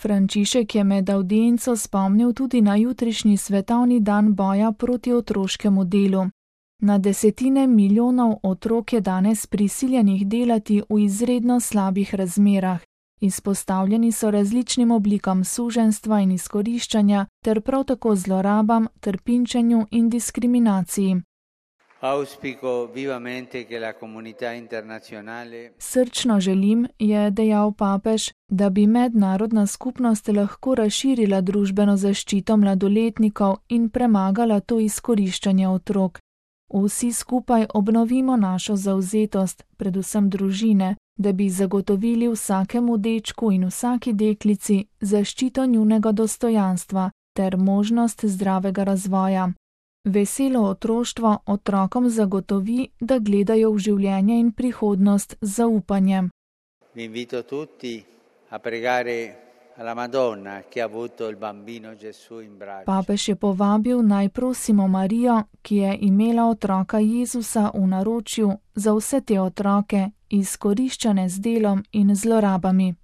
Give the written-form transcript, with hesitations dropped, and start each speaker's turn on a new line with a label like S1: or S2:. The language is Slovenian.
S1: Frančišek je med avdienco spomnil tudi na jutrišnji svetovni dan boja proti otroškemu delu. Na desetine milijonov otrok je danes prisiljenih delati v izredno slabih razmerah. Izpostavljeni so različnim oblikam suženjstva in izkoriščanja ter prav tako zlorabam, trpinčenju in diskriminaciji. Srčno želim, je dejal papež, da bi mednarodna skupnost lahko razširila družbeno zaščito mladoletnikov in premagala to izkoriščanje otrok. Vsi skupaj obnovimo našo zavzetost, predvsem družine, da bi zagotovili vsakemu dečku in vsaki deklici zaščito njunega dostojanstva ter možnost zdravega razvoja. Veselo otroštvo otrokom zagotovi, da gledajo v življenje in prihodnost z zaupanjem. Papež je povabil, naj prosimo Marijo, ki je imela otroka Jezusa v naročju, za vse te otroke, izkoriščane z delom in zlorabami.